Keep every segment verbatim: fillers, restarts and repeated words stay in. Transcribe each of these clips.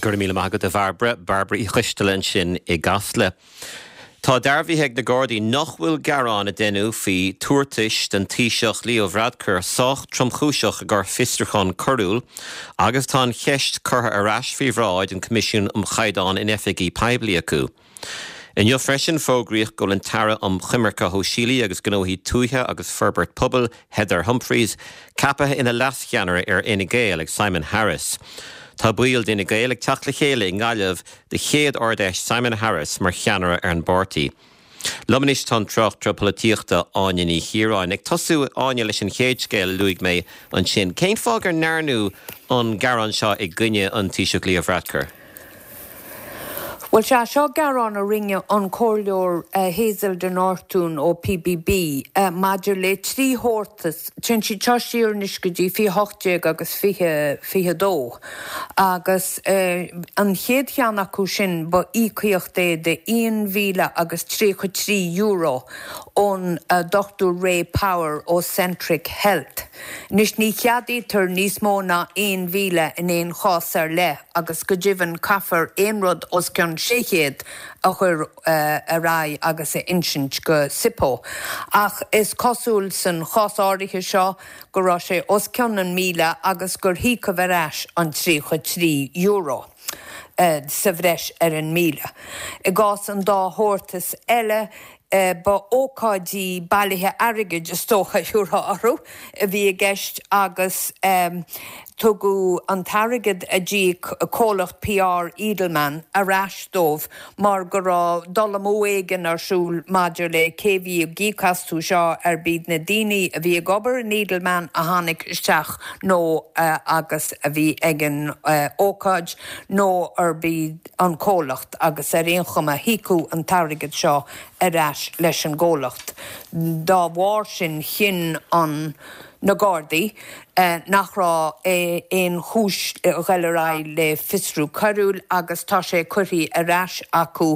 Go raibh míle maith agat a Bhairbre Bairbre Uí Choisteala ansin i gCasla. Tá dearbhaithe ag na Gardaí nach bhfuil gearán a deineadh faoi tabhartais don Taoiseach Leo Varadkar sách tromchúiseach i gcomhair fiosrúchán coiriúil, agus tá an cheist curtha ar ais faoi bhráid an Coimisiún um Chaighdeán in Oifigí Poiblí acu. Inniu freisin fógraíodh go bhfuil an tAire um Choimirce Shóisialaí agus Gnóthaí Tuaithe agus Forbairt Pobail Heather Humphreys ceaptha ina leascheannaire ar Fhine Gael ag Simon Harris. Tá baill d'Fhine Gael ag teacht le chéile i nGaillimh do chéad Ard-Fheis Simon Harris mar cheannaire ar an bpáirtí. Liom anois tá an tráchtaire polaitíochta Áine Ní Chiaráin ag tosú Áine leis an chéad scéal a luaigh mé ansin. Cén fáth gur ndearnadh an gearán seo i gcoinne an Taoiseach Leo Varadkar? Well sea seo gearán a rinne an comhairleoir uh, Hazel de Nortún ó PBB uh, maidir le trí thabhartas téann siad seo siar anois go dtí fiche hocht déag agus fiche fiche dó. Agus uh, an chéad cheann acu sin ba íocaíocht é de aon mhíle agus tríocha trí euro ón uh, Dr. Ray Power ó Centric Health. Anois ní cheadaítear níos mó ná aon mhíle in aon chás ar leith agus go deimhin caithfear aon rud os cionn sé chéad a chur uh, ar aghaidh agus a insint go SIPO. Ach is cosúil san chás áirithe seo go raibh sé os cionn an míle agus gur híocadh ar ais an tríocha trí euro. Uh, sa bhreis ar an míle. I gcás an dá thabhartas eile Uh, ba ócáidí bailithe airgid is dócha orthu a bhí i gceist agus um, tugadh an t-airgead a d'íoc comhlacht PR Edelman ar ais dóibh mar go raibh dul amú éigin ar siúl maidir le cé bhí ag íoc astu seo ar b'iad na daoine a bhí ag obair in Edelman a tháinig isteach nó uh, agus a bhí ag an uh, ócáid nó ar b'iad an comhlacht agus ar aon chuma híocadh an t-airgead seo ar ais leis an gcomhlacht. Dá bharr sin chinn an na Gardaí eh, nach raibh aon chúis dul ar aghaidh le fiosrú coiriúil agus tá sé curtha ar ais acu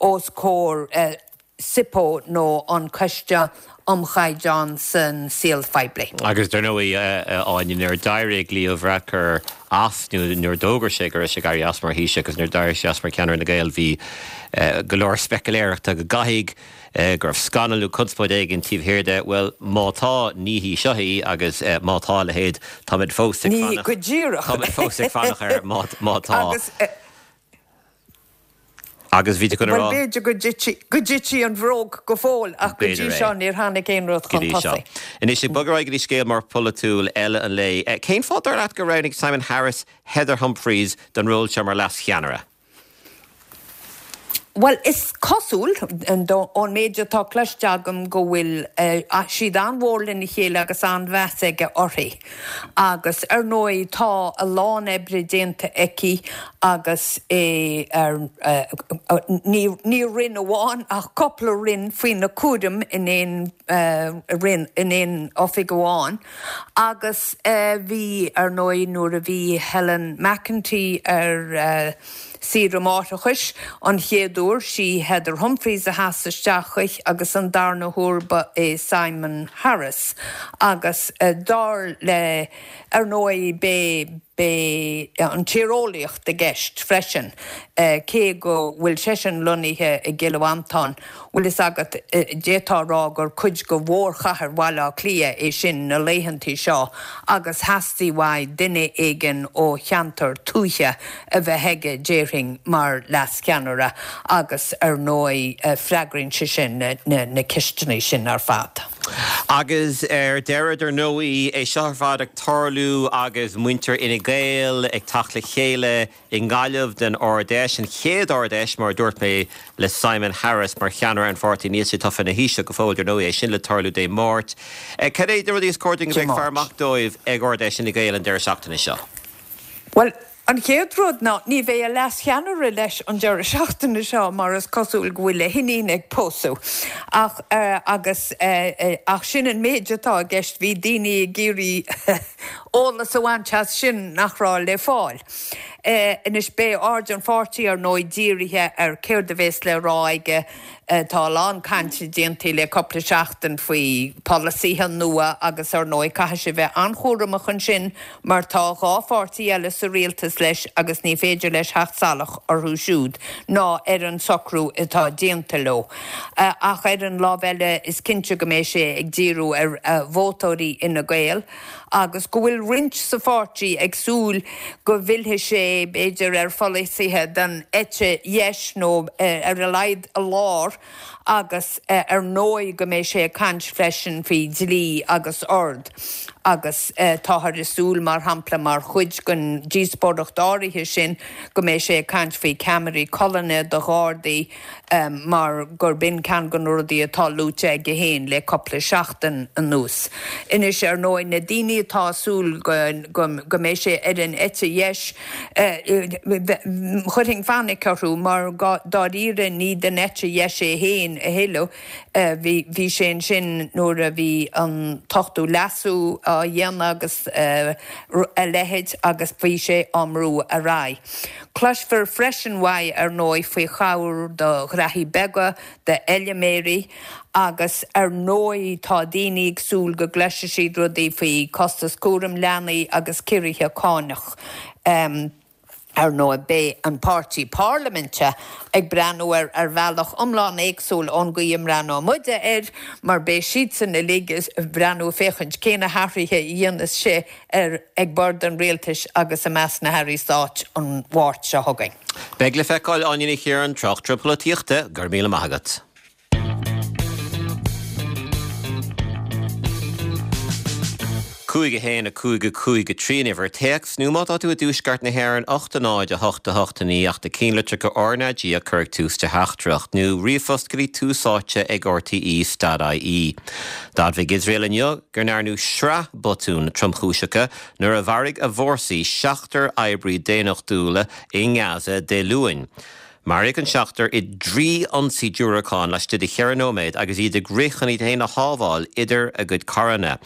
os comhair eh, SIPO nó an Coiste um Chaighdeán san Saol Phoiblí. Agus dar ndóigh Áine nuair a d'éirigh Leo Varadkar as nuair a d'fhógair sé go raibh sé ag éirí as mar Thaoiseach agus nuair a d'éirigh sé as mar cheannaire Fhine Gael bhí go leor speicealéireachta go gcaithfidh go raibh scannal nó conspóid éigin taobh thiar de, well má tá ní hí seo í agus má tá a leithéid táimid fós ag Ní go díreach. Táimid fós ag fanacht air má má tá. Agus Agus bhí go Well b'fhéidir go go dtitfidh an bhróg go fóill ach go dtí seo níor tháinig aon rud chun tosaigh. Anois ag bogadh go dtí scéal mór polaitiúil eile an lae. Cén fáth dar leat gur roghnaigh Simon Harris Heather Humphreys don ról seo mar leascheannaire? Well is cosúil ón méid atá cloiste agam go bhfuil uh, siad an-mhór lena chéile agus an-mheas aige uirthi. Agus ar ndóigh tá a lán oibre déanta aici agus é ar uh, ní, ní roinn amháin ach cúpla roinn faoina cúram in aon uh, roinn in aon oifig amháin. Agus uh, bhí ar ndóigh nuair a bhí Helen McEntee ar uh, saoire máithreachais an chéad uair sí Heather Humphreys a sheas isteach agus an darna huair ba é Simon Harris agus uh, dar le ar ndóigh bé bé an tíreolaíocht i gceist freisin uh, cé go bhfuil seisean lonnaithe i gCill Mhantáin, bhfuil fhios agat uh, d'fhéadfá rá gur cuid de mhórchathair Bhaile Átha Cliath é sin na laethanta seo agus theastaigh uaidh duine éigin ó cheantar tuaithe a bheith aige déarfainn mar leascheannaire agus ar ndóigh uh, freagraíonn sé sin na, na, na ceisteanna sin ar fad. Agus ar deireadh ar ndóigh é seo ar fad ag tarlú agus muintir Fhine Gael ag teacht le chéile i nGaillimh den Ard-Fheis an chéad Ard-Fheis mar dúirt mé le Simon Harris mar cheannaire an pháirtí níl sé tofa ina Thaoiseach go fóill ar ndóigh é sin le tarlú Dé Máirt. Cad é na rudaí is cóir dúinn a bheith ag faire amach dóibh ag Ard-Fheis Fhine Gael an deireadh seachtaine seo. Well, An chéad rud ná ní bheidh a leascheannaire leis an deireadh seachtaine seo mar is cosúil go bhfuil a hiníon ag pósadh. Ach uh, agus uh, uh, ach sin an méid atá i gceist bhí daoine ag iarraidh eolas a bhaint as sin nach raibh le fáil. Uh, Anois beidh aird an pháirtí ar ndóigh dírithe ar céard a bheas le rá aige Tá a lán cainte déanta le cúpla seachtain faoi pholasaithe nua agus ar ndóigh caithfidh sé bheith an-chúramach ansin mar tá dhá pháirtí eile sa rialtas leis agus ní féidir leis theacht salach orthu siúd ná ar an socrú atá déanta leo. Ach ar an lámh eile is cinnte go mbeidh sé ag díriú ar vótóirí Fhine Gael agus go bhfuil roinnt sa pháirtí ag súil go bhfillfidh sé b'fhéidir ar pholasaithe den eite dheis nó ar a laghad a lár agus ar ndóigh go mbeidh sé ag caint freisin faoi dhlí agus ord agus táthar ag súil mar shampla mar chuid den díospóireacht áirithe sin go mbeidh sé ag caint faoi ceamaraí colainne do ghardaí mar gurb in ceann de na rudaí atá luaite aige féin le cúpla seachtain anuas. Anois ar ndóigh na daoine atá ag súil go go mbeidh sé ar an eite dheis chuirfinn fainic orthu mar dáiríre ní den eite dheis é féin a thuilleadh. Bhí bhí sé ansin nuair a bhí an t-ochtú leasú á dhéanamh agus a leithéid agus bhí sé á mbrú ar aghaidh. Cloisfear freisin uaidh ar ndóigh faoi chabhair do ghraithí beaga, d'fheilméaraí agus ar ndóigh tá daoine ag súil go gcloisfidh siad rudaí faoi costas cúram leanaí agus ciorruithe cánach. Ar ndóigh beidh an páirtí parlaiminte ag breathnú air ar bhealach iomlán éagsúil ón gcaoi a mbreathnóidh muide air mar beidh siadsan uilig ag breathnú féachaint cé na hathruithe a dhéanfas sé ar ag bord an rialtais agus i measc na hairí stáit an Mháirt seo chugainn. Beidh le feiceáil, Áine Ní Chiaráin, tráchtaire polaitíochta, go raibh míle maith agat. cúig a haon a cúig a cúig a trí an uimhir téacs, nó má tá tú i dtuaisceart na hÉireann, ocht a náid a hocht a hocht a naoi ach do cinnlitreacha RnaG a chur ag tús do theachtaireacht, nó ríomhphost go dtí tús áite ag rte dot ie. D'admhaigh Iosrael inniu go ndearnadh sraith botún tromchúiseacha nuair a mharaigh a bhfórsaí seachtar oibrí daonnachtúla i nGaza Dé Luain. Maraíodh an seachtar i dtrí ionsaí diúracán laistigh de cheithre nóiméad agus iad ag rith chun iad féin a shábháil idir a gcuid carranna.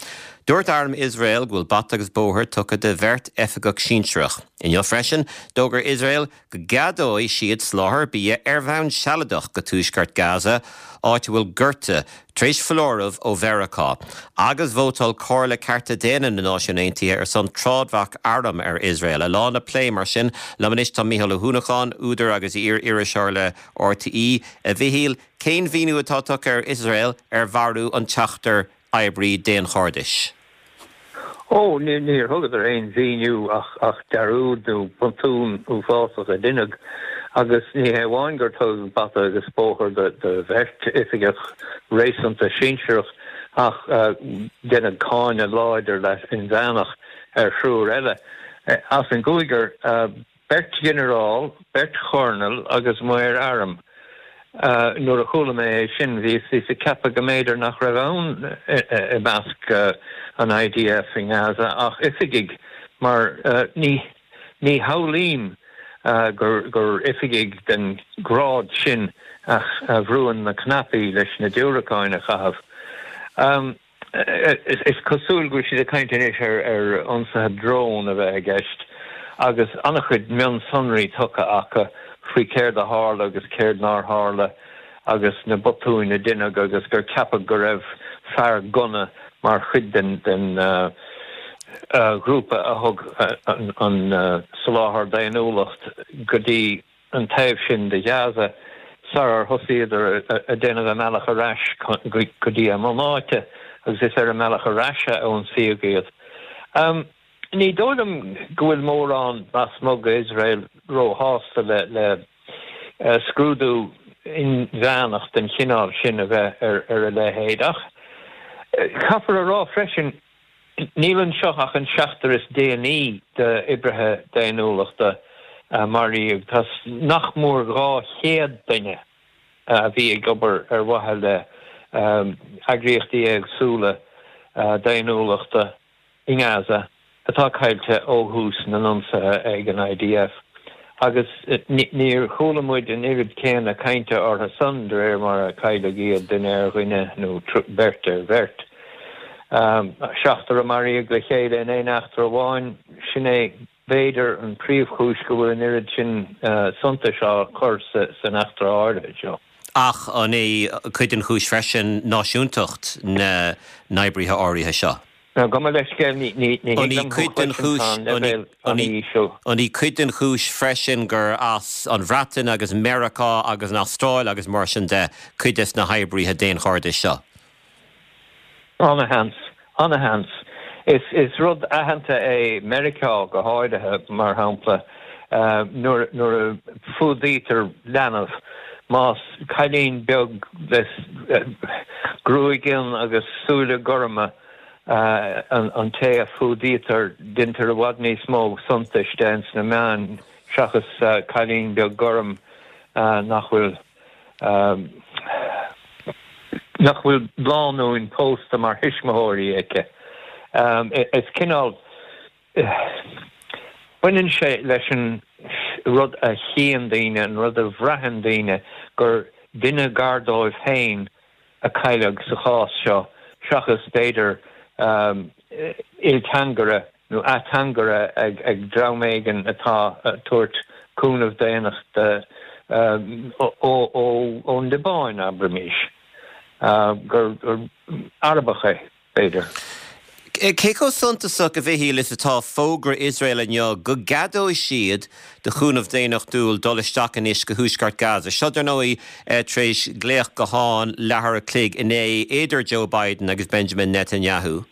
Dúirt arm Iosrael go bhfuil bata agus bóthar tugtha do bheirt oifigeach sinsearach. Inniu freisin, d'fhógair Iosrael go gceadóidh siad soláthar bia ar bhonn sealadach go tuaisceart Gaza, áit a bhfuil gorta tar éis foláireamh ó Mheiriceá, agus vótáil Comhairle Cearta Daonna na Náisiún Aontaithe ar son trádbhac arm ar Iosrael. A lán le plé mar sin liom anois tá Mícheál Ó hUanacháin, údar agus iar-iriseoir le RTÉ. A Mhichíl, cén mhíniú atá tugtha ag Iosrael ar mharú an tseachtar oibrí daonchairdis? Ó, níor thugadar aon mhíniú ach dearúd nó botún uafásach a deineadh agus ní hé amháin gur tugadh bata agus bóthar do bheirt oifigeach réasúnta sinsearach ach deineadh cáineadh láidir inmheánach ar thriúr eile as an gcúigear. Beirt ghinearál, beirt choirnéal agus maor airm. Nuair a chuala mé é sin, bhíos ag ceapadh go mb'fhéidir nach raibh ann i measc an IDF i nGaza ach oifigigh, mar ní shamhlaím gur oifigigh den ghrád sin a bhrúann na cnaipí leis na diúracáin a chaitheamh. Is cosúil go bhfuil siad ag caint anois ar ionsaithe drón a bheith i gceist agus an-chuid mionsonraí tugtha acu faoi céard a tharla agus céard nár tharla agus na botúin a deineadh agus gur ceapadh go raibh fear gunna mar chuid den ghrúpa a thug an soláthar daonnúlacht go dtí an taobh sin de Ghaza sarar thosaíodar ag déanamh a mbealach ar ais go dtí a mbunáite agus is ar a mbealach ar ais a ionsaíodh iad. Ní dóigh liom go bhfuil mórán lasmuigh d'Iosrael róshásta le scrúdú inmheánach den chineál sin a bheith ar a leithéid ach caithfear a rá freisin Níl anseo ach an seachtar is déanaí d'oibrithe daonnúlachta a maraíodh. Tá nach mór dhá chéad duine a bhí ag obair ar mhaithe le heagraíochtaí éagsúla daonnúlachta i nGaza atá caillte ó thús na n-ionsaithe ag an IDF. Agus níor chuala muid an oiread céanna cainte orthu san de réir mar a cailleadh iad, duine ar dhuine nó beirt ar bheirt. Seachtar a maraíodh le chéile in aon eachtra amháin, sin é b'fhéidir an príomhchúis go bhfuil an oiread sin suntais á chur san eachtra áirithe seo. Ach an é cuid den chúis freisin náisiúntacht na n-oibrithe áirithe seo? Gabh mo leithscéal, ní ní An í cuid den chúis an í cuid den chúis freisin gur as an Bhreatain agus Meiriceá agus an Astráil agus mar sin de cuid des na hoibrithe daonchairdis seo? Ana-sheans, ana-sheans. Is is rud aitheanta é Meiriceá go háirithe, mar shampla, nuair nuair a fuadaítear leanbh, más cailín beag le gruaig fhionn agus súile gorma an té a fuadaítear, deintear i bhfad níos mó suntais de ins na meáin seachas cailín beag gorm nach bhfuil nach bhfuil lánúin pósta mar thuismitheoirí aici. Is cineál baineann sé leis an rud a chíonn daoine, an rud a bhraitheann daoine, gur duine gar dóibh féin a cailleadh sa chás seo, seachas b'fhéidir ilteangaire nó ateangaire ag dream éigin atá ag tabhairt cúnamh daonnachta ón Liobáin, abraimis, gur Arabach é, b'fhéidir. Cé chomh suntasach, a Mhichíl, is atá fógra Iosrael inniu go gceadóidh siad do chúnamh daonnachtúil dul isteach anois go thuaisceart Gaza? Seo, dar ndóigh, tar éis glaoch gutháin leathuair a chloig inné idir Joe Biden agus Benjamin Netanyahu.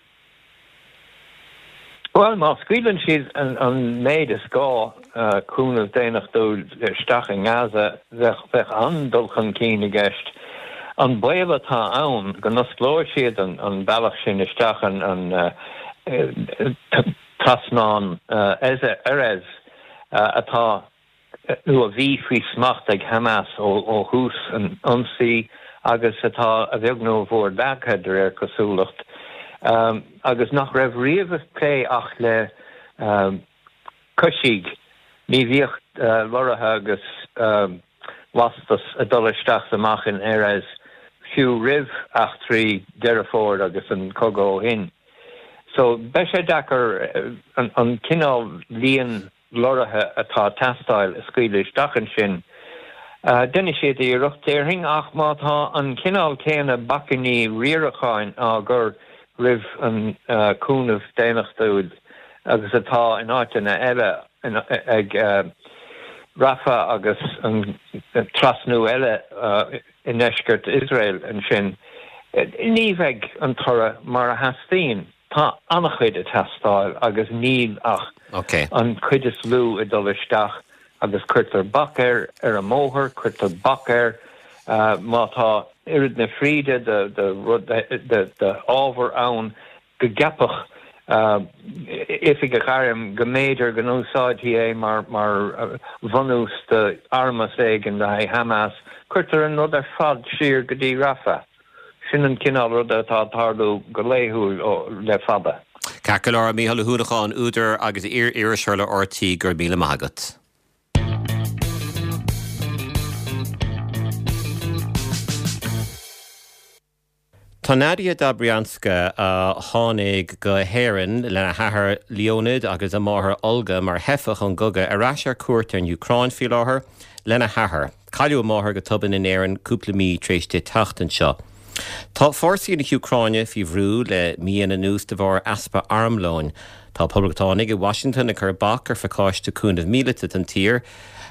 Bhuel, má scaoileann siad an méid is gá cúnamh daonnachtúil isteach i nGaza, bheadh an-dul chun cinn i gceist. An baol atá ann go n-osclóidh siad an bealach sin isteach, an trasnán Erez atá nó a bhí faoi smacht ag Hamas ó thús an ionsaí agus atá a bheag nó a mhór leagtha de réir cosúlacht, agus nach raibh riamh ag plé ach le coisígh, ní bhíodh lorraithe agus lastas ag dul isteach is amach in Erez fiú roimh eachtraí Deireadh Fómhair agus an cogadh ó shin. So beidh sé deacair an cineál líon lorraithe atá ag teastáil a scaoileadh isteach ansin. Déanfaidh siad iarracht, déarfainn, ach má tá an cineál céanna bacainní riaracháin á gcur roimh an cúnamh daonnachtúil agus atá in áiteanna eile ag Rafah agus an trasnú eile i ndeisceart Iosrael ansin, ní bheidh an toradh mar a theastaíonn. Tá an-chuid ag teastáil agus níl ach an chuid is lú ag dul isteach agus cuirtear bac air ar an mbóthar, cuirtear bac air má tá oiread na fríde de rud d'ábhar ann go gceapfadh oifigeach airm go mb'fhéidir go n-úsáidfí é mar bhunús d'armas éigin le haghaidh Hamas, cuirtear an rud ar fad siar go dtí Rafah. Sin an cineál ruda atá ag tarlú go laethúil le fada. Ceart go leor, Mícheál Ó hUanacháin, údar agus iar-iriseoir le RTÉ, go raibh míle maith agat. Tá Nadia Dobrianska, a tháinig go hÉirinn lena hathair Leonid agus a máthair Olga mar theifeach ón gcogadh, ar ais ar cuairt ar an Úcráin faoi láthair lena hathair. Cailleadh a máthair go tobann in Éirinn cúpla mí tar éis di teacht anseo. Tá fórsaí na hÚcráine faoi bhrú le míonna anuas de bharr easpa armlóin. Tá poblachtánaigh i Washington ag cur bac ar phacáiste cúnaimh míleata don tír.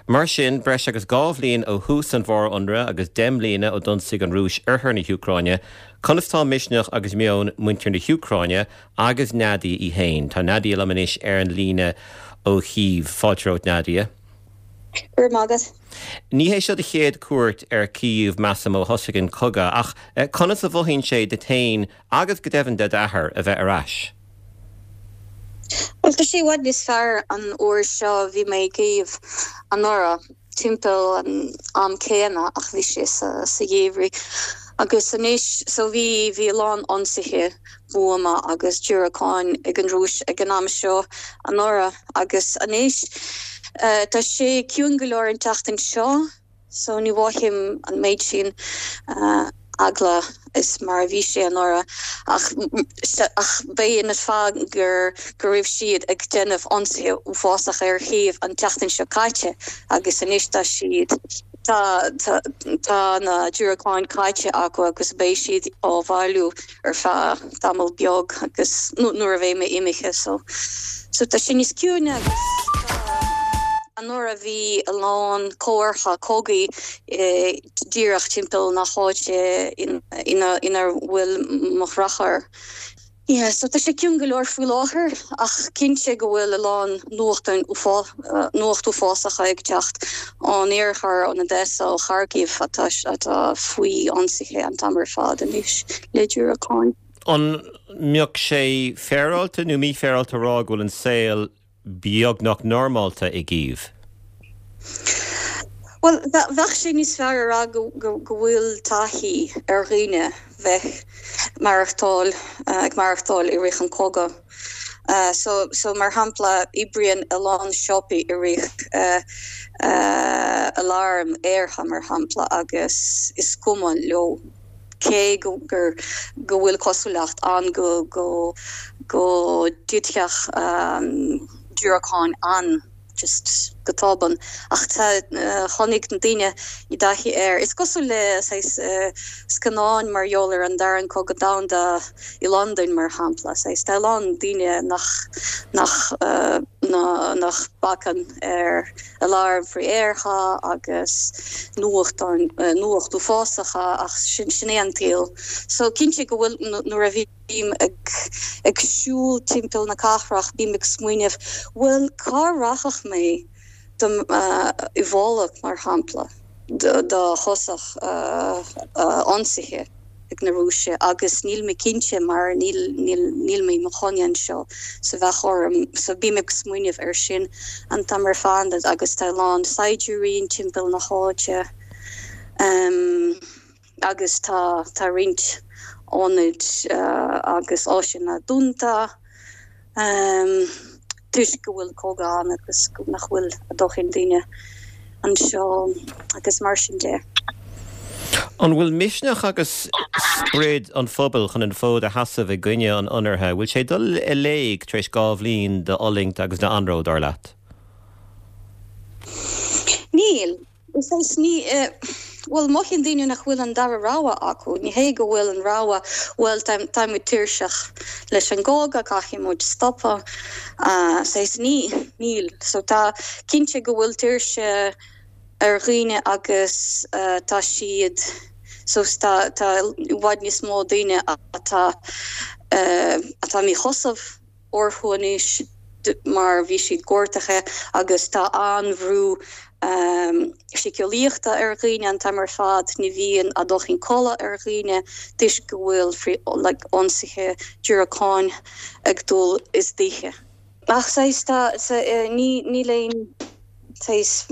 Mar sin, breis agus dhá bhliain ó thús an mhór-ionraidh agus deich mbliana ó d'ionsaigh an Rúis oirthear na hÚcráine, conas tá misneach agus meon muintir na hÚcráine agus Nadia í féin? Tá Nadia liom anois ar an líne ó Chív. Fáilte romhat, Nadia. Go raibh maith agat. Ní hé seo do chéad cuairt ar Cív, measaim, ó thosaigh an cogadh, ach conas a mhothaíonn sé duit féin agus go deimhin do d'athair a bheith ar ais? Bhuel, tá sé i bhfad níos fearr an uair seo. Bhí mé i gCív anuraidh timpeall an am céanna ach bhí sé sa sa gheimhreadh agus anois so bhí bhí a lán ionsaithe buama agus diúracáin ag an Rúis ag an am seo anuraidh agus anois tá sé ciúin go leor an tseachtain seo so ní mhothaím an méid sin eagla is mar a bhí sé anuraidh ach ach b'é an fáth gur go raibh siad ag déanamh ionsaithe uafásach ar Chív an tseachtain seo caite agus anois tá siad Tá tá tá na diúracáin caite acu agus beidh siad á bhailiú ar feadh tamall beag agus nuair a bheidh mé imithe so so tá sin níos ciúine agus anuraidh bhí a lán comhartha cogaidh díreach timpeall na háite ina ina bhfuil mo dheartháir. Yeah, so tá sé ciúin go leor faoi láthair ach cinnte go bhfuil a lán nuachtáin nuacht uafásacha ag teacht ón iarthar ón Odessa ó Kharkiv atá atá faoi ionsaithe an t-am ar fad anois le diúracáin. An mbeadh sé féaráilte nó mífhéaráilte a rá go bhfuil an saol beagnach normálta i gCív? Well bheadh sé níos fearr a rá go go bhfuil taithí ar dhaoine bheith maireachtáil ag maireachtáil i rith an cogadh. Uh, so, so mar shampla oibríonn a lán siopaí i rith uh, uh, alarm aertha mar shampla agus is cuma leo cé go gur go bhfuil cosúlacht ann go go go dtitfeadh um, diúracáin an just go tobann ach tá uh, tháinig na daoine i dtaithí air. Is cosúil le saghas uh, scannáin mar gheall ar an dara cogadh domhanda i Londain mar shampla saghas tá lán daoine nach nach uh, na, nach bacann ar alarm frith-aertha agus nuachtáin uh, nuacht uafásacha ach sin sin é an saol. So cinnte go bhfuil nuair a bhím ag ag siúl timpeall na cathrach bím ag smaoineamh bhfuil cá rachadh mé dom uh, i bhfolach mar shampla dá thosódh uh, uh, ionsaithe ag na Rúisigh agus níl mé cinnte mar níl níl níl mé i mo chónaí anseo sa bheadh orm so bím ag smaoineamh ar sin an t-am ar fad agus tá lán saighdiúirí timpeall na háite um, agus tá tá roinnt ionaid uh, agus áiseanna dúnta um, toisc go bhfuil cogadh ann agus nach bhfuil a ndóthain daoine anseo agus mar sin de. An bhfuil misneach agus sprid an phobail chun an fód a sheasamh i gcoinne an ionraithe, bhfuil sé dul i léig tar éis dhá bhliain de fhulaingt agus de anró dar leat? Níl is ní uh, Well mothaíonn daoine nach bhfuil an dara rogha acu, ní hé go bhfuil an rogha well táimid tuirseach leis an gcogadh caithfidh muid stopadh uh, saghas ní níl, so tá cinnte go bhfuil tuirse ar dhaoine agus uh, tá siad so tá tá i bhfad níos mó daoine atá uh, atá míshásamh orthu anois mar bhí siad gortaithe agus tá an-bhrú um, síceolaíochta ar dhaoine an t-am ar fad ní bhíonn a ndóthain codladh ar dhaoine toisc go bhfuil free like, ionsaithe diúracáin ag dul istoíche. Ach tá ní ní léon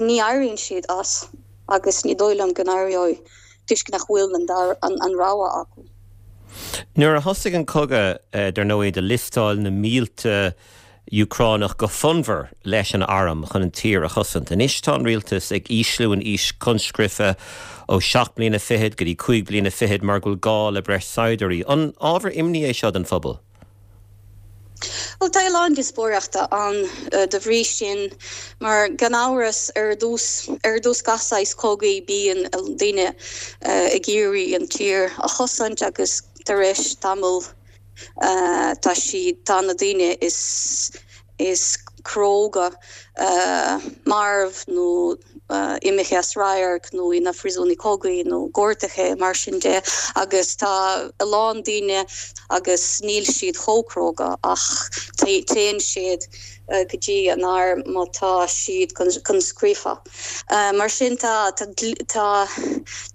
ní éiríonn siad as agus ní dóigh liom go n-éireoidh toisc nach bhfuil an, an, an rogha acu. Nuair a thosaigh an cogadh dar ndóigh de liostáil na mílte Úcránach go fonnmhar leis an arm chun an tír a chosaint. Anois tá an rialtas ag ísliú an aois conscripthe ó seacht mbliana fichead go dtí cúig bliana fichead mar go bhfuil gá le breis saighdiúirí. An ábhar imní é seo don phobal? Well tá lán díospóireachta ann uh, de bhrí sin mar gan amhras ar dtús ar dtús gach saghas cogaidh bíonn daoine uh, ag iarraidh an tír a chosaint agus tar éis tamall uh, tá si tá na daoine is is cróga uh, marbh nó uh, imithe as radharc nó ina phríosúnaigh cogaidh nó gortaithe mar sin de agus tá a lán daoine agus níl siad chomh cróga ach téann siad uh, go dtí an arm má tá siad conscripthe. Uh, mar sin tá tá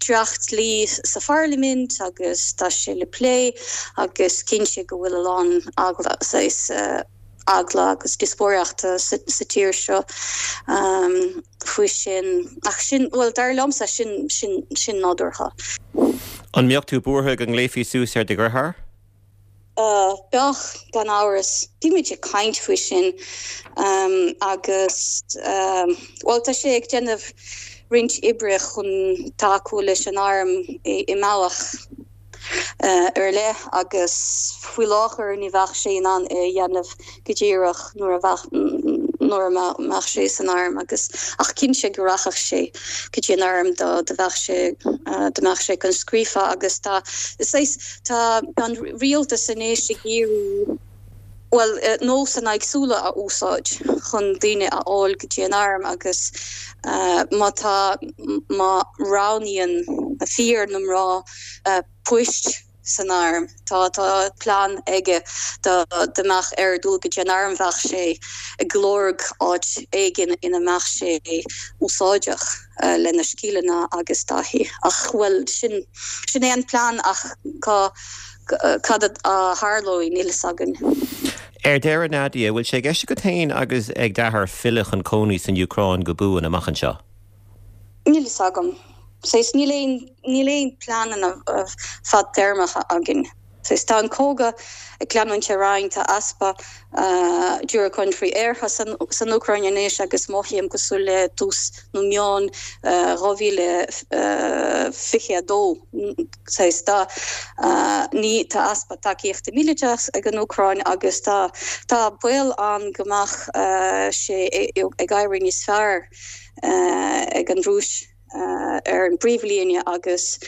dréacht-dlí sa pharlaimint agus tá sé le plé agus cinnte go bhfuil a lán eagla is uh, eagla agus díospóireachta sa, sa tír seo um, faoi sin ach sin well dar liomsa sin sin sin nádúrtha. An mbeadh tú buartha go nglaofaí suas ar do dheartháir? Uh, Bheadh gan amhras bímid ag caint faoi sin um, agus um, well tá sé ag déanamh roinnt oibre chun tacú leis an arm i, i mbealach uh, ar leith agus faoi láthair ní bheadh sé in ann é dhéanamh go díreach nuair a bheadh nuair a mbeadh sé san arm agus ach cinnte go rachadh sé go dtí an arm dá dá bheadh sé dá mbeadh sé conscríofa agus tá saghas tá an rialtas anois ag iarraidh bhuel nósanna éagsúla a úsáid chun daoine a fháil go dtí an arm agus má tá má roghnaíonn na fir nó mná poist san arm. Tá tá plean aige dá dá mbeadh air dul go dtí an arm bheadh sé ag lorg áit éigin ina mbeadh sé úsáideach lena scileanna agus taithí. Ach bhuel sin sin é an plean ach cá cad a tharlóidh níl fhios againn. Ar deireadh Nadia, bhfuil sé i gceist agat féin agus ag d'athair filleadh chun cónaí san Úcráin go buan amach anseo? Níl fhios agam. Saghas níl aon níl aon pleananna fadtéarmacha againn. Saghas tá an cogadh ag leanúint ar aghaidh, tá easpa diúracáin frith-aertha san san Úcráin anois agus mothaím cosúil le tús nó meán dhá mhíle fiche a dó. Saghas tá ní tá easpa tacaíochta míleata ag an Úcráin agus tá tá baol ann go mbeadh sé ag éirí níos fearr ag an Rúis. ar an bpríomhlíne agus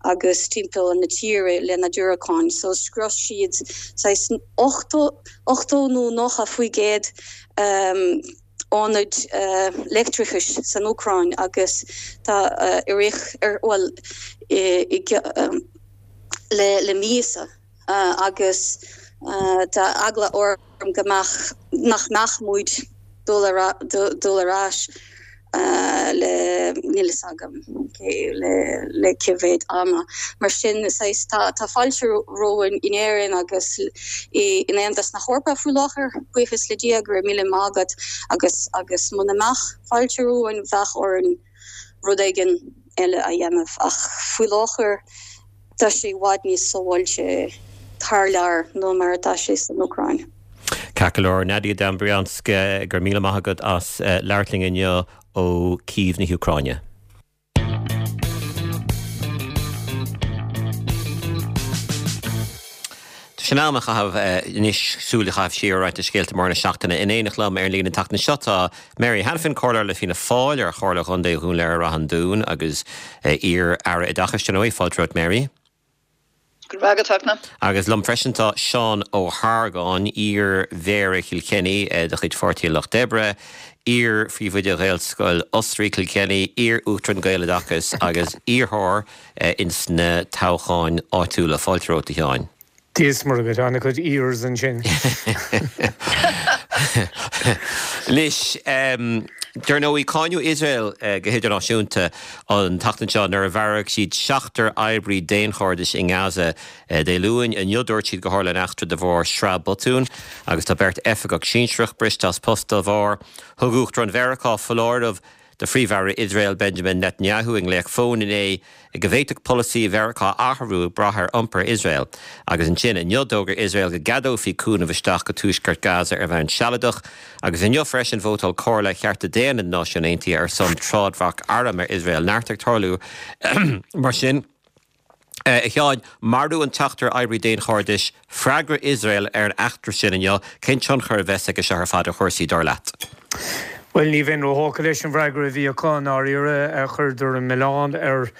agus timpeall na tíre lena diúracáin. So scrios siad saghas ochtó ochtó nó nócha faoi gcéad ionaid leictreachais san Úcráin agus tá i rith ar bhuel i le le míosa agus tá eagla orm go mbeadh nach mbeadh muid dul ar dul ar ais le níl fhios agam le le cé mhéad ama. Mar sin saghas tá tá fáilte romhainn in Éirinn agus i in Aontas na hEorpa faoi láthair, buíochas le Dia go raibh míle maith agat agus agus muna mbeadh fáilte romhainn bheadh orainn rud éigin eile a dhéanamh ach faoi láthair tá sé i bhfad níos sábháilte thar lear ná mar atá sé san Úcráin. Ceart go leor, Nadia Dobrianska, go raibh míle maith agat as labhairt linn inniu ó Cív na hÚcráine. Tá sé in am a chaitheamh anois súil a chaitheamh siar ar roinnt de scéalta móra na seachtaine. In éineacht liom ar an líne an tseachtain seo tá Mary Hanafin, Comhairleoir le Fianna Fáil ar Chomhairle Chontae Dhún Laoghaire-Rath an Dúin agus iar-Aire Oideachais, dar ndóigh. Fáilte romhat Mary. Go raibh maith agat. Agus liom freisin tá Seán Ó hArgáin, iar-Mhéara Chill Chainnigh de chuid Pháirtí an Lucht Oibre, iar-phríomhoide Ghaelscoil Osraí Chill Chainnigh, iar-Uachtarán Gaeloideachas agus iarrthóir ins na toghcháin áitiúla. Fáilte romhat, a Sheáin. Dia is Muire dhuit, an-chuid iars ansin. Anois, dar ndóigh, cáineadh Iosrael go hidirnáisiúnta an tseachtain seo nuair a mharaigh siad seachtar oibrí daonchairdis i nGaza Dé Luain. Inniu dúirt siad gur tharla an eachtra de bharr sraith botún agus tá beirt oifigeach sinsearach briste as post dá bharr. Thug Uachtarán Mheiriceá foláireamh do Phríomh-Aire Iosrael Benjamin Netanyahu i nglaoch fóin inné go bhféadfadh polasaí Mheiriceá athrú ag brath ar iompar Iosrael. Agus ansin inniu d'fhógair Iosrael go gceadófaí cúnamh isteach go tuaisceart Gaza ar bhonn sealadach. Agus inniu freisin vótáil Comhairle Chearta Daonna na Náisiún Aontaithe ar son trádbhac arm ar Iosrael. Neart ag tarlú mar sin. A Sheáin, marú an tseachtar oibrí daonchairdis, freagra Iosrael ar an eachtra sin inniu, cén tionchar a bheas aige seo ar fad ar chúrsaí, dar leat? Bhuel, ní bheinn róthógtha leis an bhfreagra a bhí acu i ndáiríre. Chuireadar an milleán ar,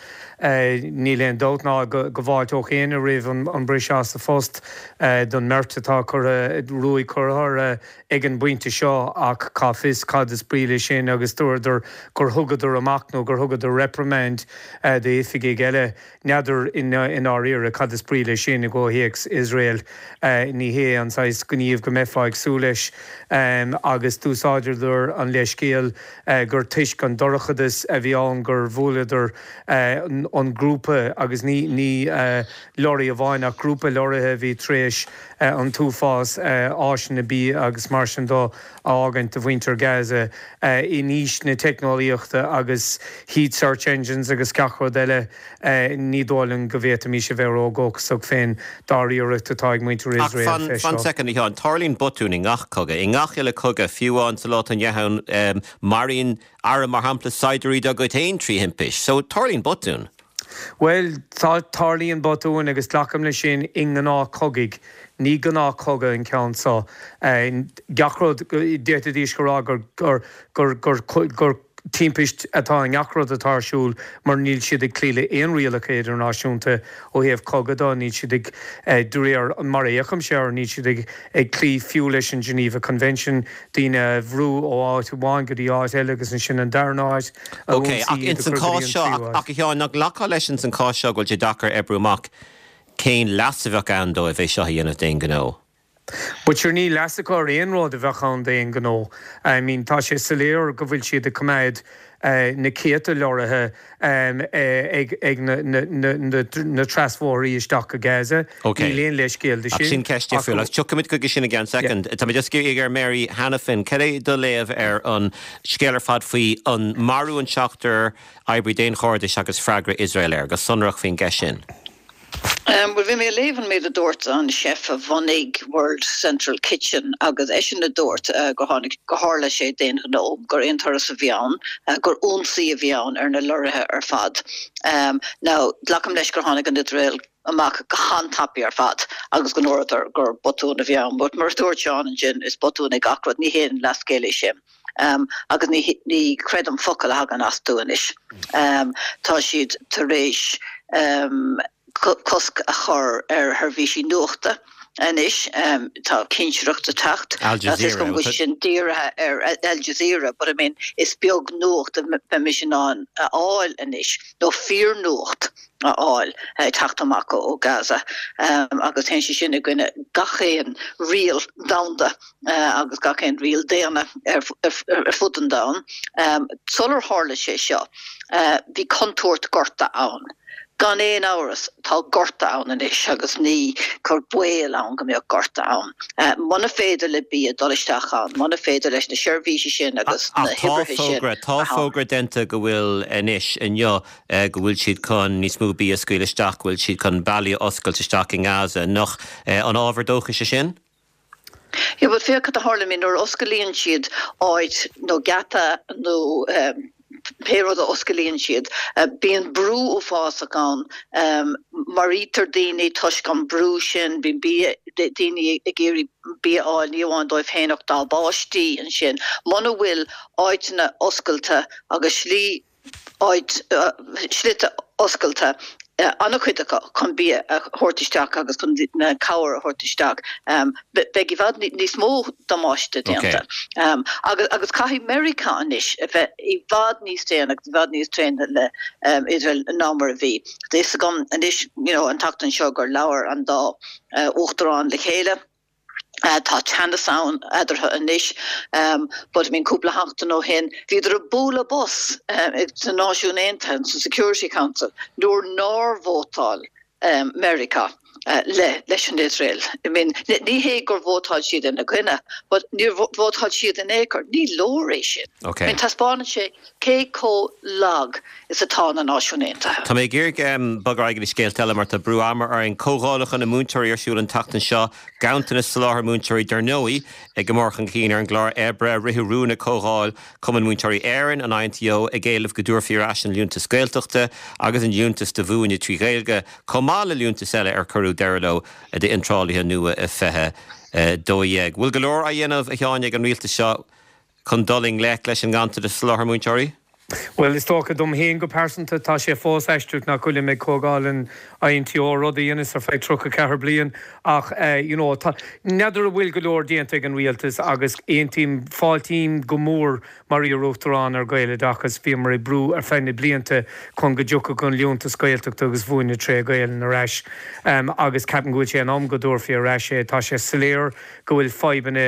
níl aon dabht ná go bhfáilteodh éinne roimh an briseadh as a phost don mbeirt atá curtha, ruaig curtha orthu ag an bpointe seo ach cá bhfios cad is brí leis sin agus dúradar gur thugadar amach nó gur thugadar reprimand d'oifigigh eile. N'fheadar i ndáiríre cad is brí leis sin i gcomhthéacs Iosrael. Ní hé an saghas gníomh go mbeifeá ag súil leis. Agus d'úsáideadar an leithscéal gur toisc an dorchadas a bhí ann gur bhuaileadar an grúpa agus ní ní lorry amháin ach grúpa lorraithe a bhí tar éis an t-uafás áiseanna bia agus mar sin de a fhágaint do mhuintir Gaza in aois na teicneolaíochta agus heat search engines agus gach rud eile. Ní dóigh liom go bhféadfaimis a bheith ródhóchasach fén dáiríreacht atá ag muintir Ach Iosrael fan, fé fan seo. soicind, a Sheáin, tarlaíonn botúin i ngach cogadh. I ngach uile cogadh, fiú amháin sa lá atá inniu ann, maraíonn arm, mar shampla, saighdiúirí dá gcuid féin trí thimpist. So, tarlaíonn botúin. Bhuel, tá, tarlaíonn botúin agus glacaim leis sin i ngnáthchogaidh. Ní gnáthchogadh an ceann seo. Gach rud, d'fhéadfaidís a rá gur, gur, gur, gur, gur timpist atá i ngach rud atá ar siúl mar níl siad ag cloí le aon rialacha idirnáisiúnta ó thaobh cogadh de, níl siad ag, de réir mar a fhéachaimse air, níl siad ag ag cloí fiú leis an Geneva Convention, daoine a bhrú ó áit amháin go dtí áit eile agus ansin an darna háit a Ok, ionsaí ach ins an cás seo, ach a Sheáin, nach nglacfá leis ins an cás seo go bhfuil sé deacair oibriú amach cén leas a bheadh ann dóibh é seo a dhéanamh d'aon ghnó? But sure níl leas acu ar aon rud a bheadh ann d'aon ghnó. I mean tá sé soiléir go bhfuil siad ag coimeád na céadta leoraithe ag ag na na na na na trasbhóithrí isteach go Gaza. Ok. Níl aon leithscéal de Ach sin sin ceist ach difriúil. Agus tiocfaimid chuige sin i gceann yeah. soicind. Tá mé just ag iarraidh ar Mary Hanafin, cad é do léamh ar an scéal ar fad faoi an marú an seachtar oibrí daonchairdis agus freagra Iosrael air, go sonrach faoin gceist sin? Bhuel, bhí mé ag léamh an méid a dúirt an chef a bhunaigh World Central Kitchen agus eisean a dúirt gur tháinig, gur tharla sé d'aon ghnó, gur aon turas a bhí ann, gur ionsaí a bhí ann ar na lorraithe ar fad. Now, glacaim leis gur tháinig an Iosrael amach go han-tapaidh ar fad agus go ndúradar gur botún a bhí ann, but mar a dúirt Seán ansin, is botún é gach rud, ní haon leithscéal é sin. Agus ní, ní chreidim focal a thagann astu anois. Tá siad tar éis. cosc a chur ar sheirbhísí nuachta anois. Tá cinsireacht ag teacht. Al Tá 'fhios Jazeera. agam go bhfuil sin dírithe ar Al Jazeera but I mean is beag nuacht a bheimis in ann a fháil anois, nó fíornuacht a fháil ag teacht amach ó Gaza. Agus téann sé sin i gcoinne gach aon riail domhanda agus gach aon riail daonna ar fud an domhain. Sular tharla sé seo, bhí contúirt gorta ann. Gan aon amhras, tá gorta ann anois agus ní cur baol ann go mbeadh gorta ann. Muna féidir le bia dul isteach ann, muna féidir leis na seirbhísí sin agus na Ach tá hoibrithe sin fógra, tá a bheith ann. fógra déanta go bhfuil anois, inniu, go bhfuil siad chun níos mó bia a scaoileadh isteach, go bhfuil siad chun bealaí a oscailt isteach i nGaza. Nach an ábhar dóchais é sin? Yeah, but féach cad a tharla, I mean, nuair a osclaíonn siad áit nó geata nó pé rud a osclaíonn siad, bíonn brú uafásach ann, maraítear daoine toisc an brú sin, bíonn bia, daoine ag iarraidh bia a fháil, ní amháin dóibh féin ach dá bpáistí ansin. Muna bhfuil áiteanna oscailte agus slí áit, slite oscailte, an-chuid acu chun bia a thabhairt isteach agus chun na cabhair a thabhairt isteach, beidh i bhfad níos mó damáiste déanta. Agus agus caithfidh Meiriceá anois a bheith i bhfad níos déine agus i bhfad níos tréine le Iosrael ná mar a bhí. Tá fhios agam anois you know an tseachtain seo gur labhair an dá uachtarán le chéile. Tá teannas ann eadarthu anois but I mean cúpla seachtain ó shin bhíodar ag bualadh bos sna Náisiúin Aontaithe, sa Security Council, nuair nár vótáil Meiriceá le leis an Iosrael. I mean ní hé gur vótáil siad ina gcoinne but níor vótáil siad in aon chor. Ní leor é sin. I mean taispeánann sé cé chomh lag is atá na Náisiúin Aontaithe. Tá mé ag iarraidh bogadh ar aghaidh go dtí scéalta eile mar tá brú ama orainn. Comhdhálacha na múinteoirí ar siúl an tseachtain seo, ganntanas soláthair múinteoirí dar ndóigh ag go mór chun cinn ar an gclár oibre. Ritheadh rún ag comhdháil Chumann Múinteoirí Éireann, an INTO, ag éileamh go dtabharfaí ar ais an Liúntas Gaeltachta agus an Liúntas do Mhúineadh trí Ghaeilge, chomh maith le liúntais eile ar cuireadh deireadh leo d'iontrálaithe nua i fiche dó dhéag. Bhfuil go leor á dhéanamh, a Sheáin, ag an rialtas seo chun dul i ngleic leis an nganntanas soláthair múinteoirí? Bhuel, is dócha dom féin go pearsanta, tá sé fós aisteach nach bhfuilim ag comhdháil an INTO, rud a dheineas ar feadh tríocha ceathair bliain, ach you know, tá, n'fheadar an bhfuil go leor déanta ag an rialtas agus aontaím, fáiltím go mór mar iar-uachtarán ar Ghaeloideachas, bhíomar ag brú ar feadh na blianta chun go dtiocfadh an Liúntas Gaeltachta agus Mhúineadh tré Ghaelainn ar ais agus ceapaim go bhfuil sé in am go dtabharfaí ar ais é. Tá sé soiléir go bhfuil fadhbanna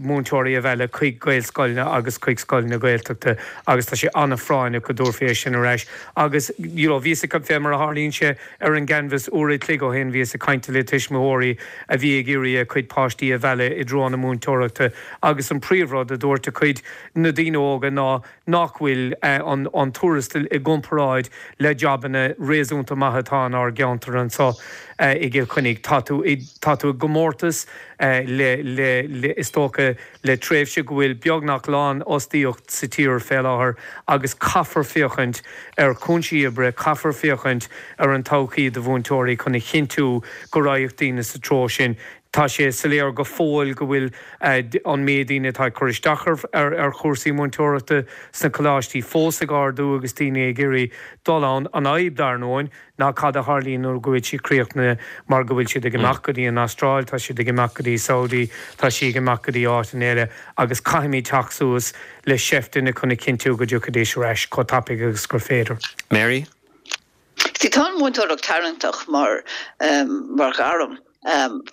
múinteoirí a mhealladh chuig Gaelscoileanna agus chuig scoileanna Gaeltachta agus tá sé an-phráinneach go dtabharfaí é sin ar ais. Agus you know bhíos ag, fé mar a tharlaíonn sé ar an gcanbhás uair a chloig ó shin, bhíos ag caint le tuismitheoirí a bhí ag iarraidh a cuid páistí a mhealladh i dtreo na múinteoireachta agus an príomhrud a dúirt a cuid na daoine óga ná nach bhfuil an an tuarastal i gcomparáid le jabanna réasúnta maithe atá inár gceantar anseo i gCill Chainnigh. Tá tú i tá tú i gcomórtas le le le is dócha le tréimhse go bhfuil beagnach lánfhostaíocht sa tír fé láthair agus caithfear féachaint ar chúinsí oibre, caithfear féachaint ar an todhchaí do mhúinteoirí chun a chinntiú go raghadh daoine sa treo sin. Tá sé soiléir go fóill go bhfuil an méid daoine atá ag cur isteach ar chúrsaí múinteoireachta sna coláistí fós ag ardú agus daoine ag iarraidh dul ann. An fhadhb, dar ndóigh, ná cad a tharlaíonn nuair go bhfuil siad críochnaithe mar go bhfuil siad ag imeacht go dtí an Astráil, tá siad ag imeacht go dtí Saudi, tá siad ag imeacht go dtí áiteanna eile agus caithfimid teacht suas le seifteanna chun a chinntiú go dtiocfaidís ar ais chomh tapaidh agus gur féidir. Mary? See, tá an mhúinteoireacht tarraingteach mar mar ghairm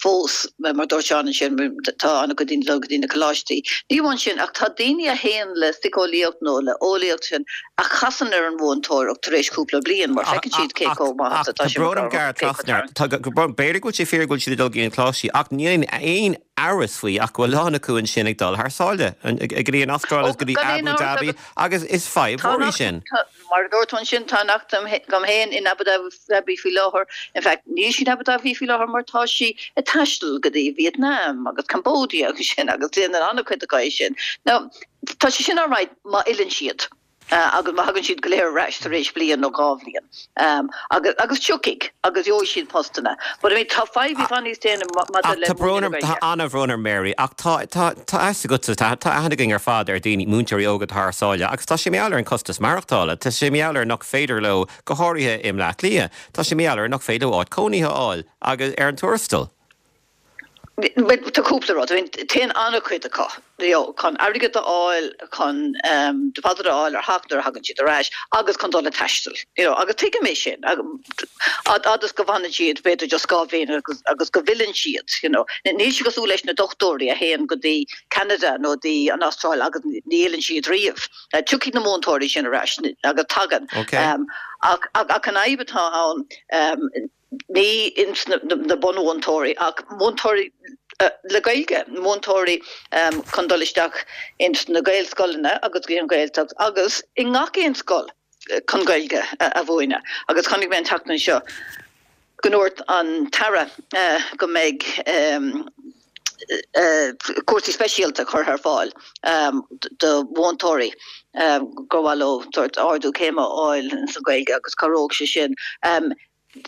fós, mar dúirt Seán ansin, tá an-chuid daoine ag dul go dtí na coláistí. Ní amháin sin, ach tá daoine a théann le síceolaíocht nó le eolaíocht sin a chasann ar an mhúinteoireacht tar éis cúpla bliain mar feiceann siad cé chomh maith is atá sé mar B'fhéidir go bhfuil sé fíor go bhfuil siad ag dul go dtí na coláistí ach níl aon amhras faoi ach go bhfuil a lán acu ansin ag dul thar sáile, go dtí an Astráil is go dtí Abu Dhabi agus is fadhb mhór í sin. Mar a dúirt tú ansin, tá neacht agam féin in Abu Dhabi faoi láthair, in fact níl sí in Abu Dhabi faoi láthair mar tá sí ag taisteal go dtí Vietnam agus Cambodia agus sin agus déanann an-chuid acu é sin. Now, tá sé sin alright má fhilleann siad agus má thagann siad go léir ar ais tar éis bliain nó dhá bhliain agus agus tiocfaidh agus gheobhaidh siad postanna. But I mean tá fadhb i bhfad níos déine maidir le Tá brón orm, tá an-bhrón orm Mary, ach tá tá tá fhios agatsa, tá tá aithne againn ar fad ar daoine, múinteoirí óga atá thar sáile agus tá sé mar gheall ar an costas maireachtála, tá sé mar gheall ar nach féidir leo, go háirithe i mBleá Cliath, tá sé mar gheall ar nach féidir leo áit cónaithe a fháil agus ar an tuarastal. Tá cúpla rud. I mean, téann an-chuid acu you know, chun airgead a fháil, chun um, deposit a fháil ar theach nuair a thagann siad ar ais agus chun dul ag taisteal. You know, agus tuigim é sin. Fhad is go bhfanann siad b'fhéidir just dhá bhliain agus, agus go bhfilleann siad. You know. Níl sé cosúil leis na dochtúirí a théann go dtí Canada nó dtí an Astráil agus ní fhilleann siad riamh. Uh, tiocfaidh na múinteoirí sin ar ais agus tagann. Okay. Um, ach, ach, ach an fhadhb atá ann um, ní ins na, na, na bunmhúinteoirí ach múinteoirí uh, le Gaeilge, múinteoirí um, chun dul isteach ins na Gaelscoileanna agus go an Ghaeltacht agus i ngach aon scoil chun Gaeilge a, a mhúineadh. Agus chonaic mé an tseachtain seo go ndúirt an tAire uh, go mbeidh um, uh, cúrsaí speisialta curtha ar fáil um, do mhúinteoirí um, gur mhaith leo ardú céime a fháil sa Ghaeilge agus cabhróidh sé sin. Um,